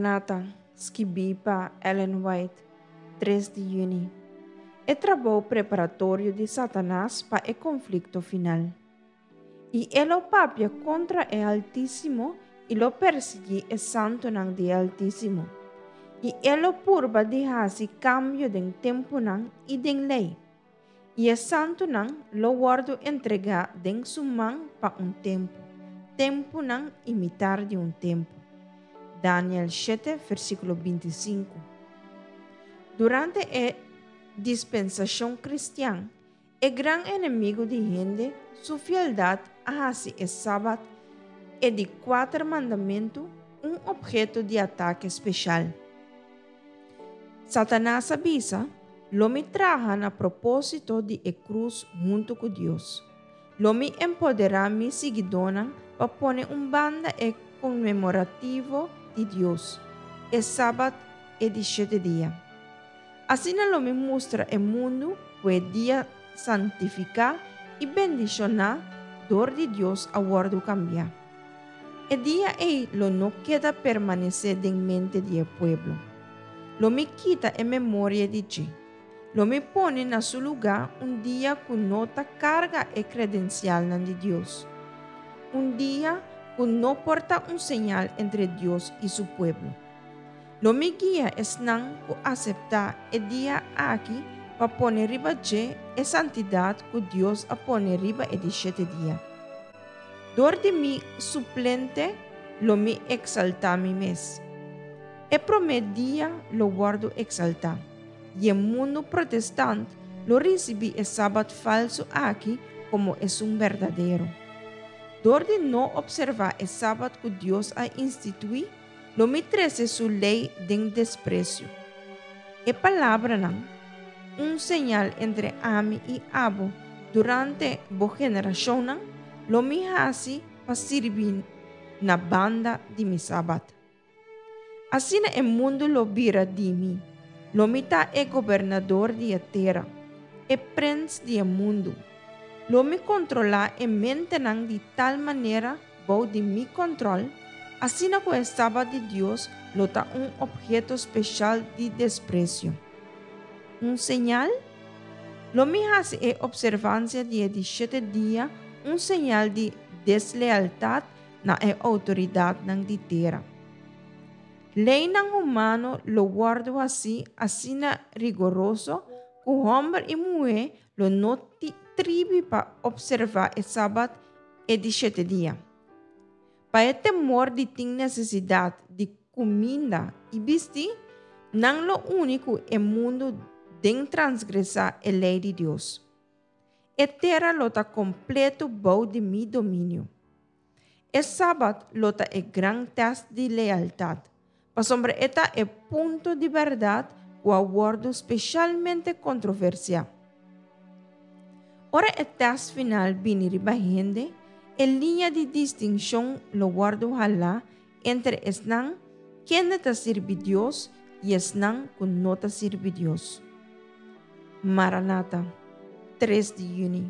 Maranata, skibí pa Ellen White, 3 di yüni. E trabou preparatorio di Satanas pa e konflikto final. I e lo papia kontra e Altísimo i lo persiguí e santunan di e Altísimo. I e lo purba di hasi kambio den tempunan i den lei. I e santunan lo wòrdu entregá den su man pa un tempu, tempunan i mitar di un tempu. Daniel shete, versíkulo 25. Durante e dispensashon kristian, e gran enemigu di hende su fieldat a hasi e Sabat, e di kuater mandamentu, un opheto di atake speshal. Satanas a bisa, Lo mi traha na propósito di e krus huntu ku Dios. Lo mi empoderá mi siguidónan pa pone un banda e konmemorativo di Dios, e Sabat e di shete dia. Asina lo mi mustra e mundu ku e dia santifiká i bendishoná dor di Dios a wòrdu kambiá. E dia ei lo no keda permanesé den mente di e pueblo. Lo mi kita e memoria di dje. Lo mi pone na su lugá un dia ku no ta karga e kredensialnan di Dios. Un dia ku no por ta un señal entre Dios i su pueblo. Lo mi guia esnan ku aseptá e dia aki pa pone riba dje e santidat ku Dios a pone riba e di shete dia. Dor di mi suplente lo mi eksaltá mi mes. E promé dia lo wòrdu eksaltá, i e mundu protestant lo risibí e sabat falsu aki komo esun berdadero. Dor di no opservá e sabat ku Dios a instituí, Lo mi trese su lei den despresio. E palabranan, Un señal entre ami i abo durante bo generashonnan, lo mi hasi pa sirbi na banda di mi sabat. Asina e mundu lo bira di mi, lo mi ta e gobernador di e tera, e prens di e mundu. Lo mi kontrolá e mentenan di tal manera bou di mi kòntròl, asina ku e Sabat di Dios lo ta un opheto speshal di despresio. Un señal? Lo mi hasi e opservansia di e di shete dia un señal di deslealtat na e outoridatnan di tera. Leinan humano lo wòrdu hasí asina rigoroso ku hòmber i muhé lo no tribi pa opservá e Sabat e di shete dia. Pa e temor di tin nesesidat di kuminda i bisti, nan lo uni ku e mundu den transgresá e lei di Dios. E tera lo ta kompleto bou di mi dominio. E Sabat lo ta e gran tèst di lealtat, pasobra e ta e punto di bèrdat ku a wòrdu speshalmente kontroversiá. Ora e tèst final bini riba hende, e liña di distinshon lo wòrdu halá entre esnan kende ta sirbi Dios i esnan ku no ta sirbi Dios. Maranata, 3 di yüni.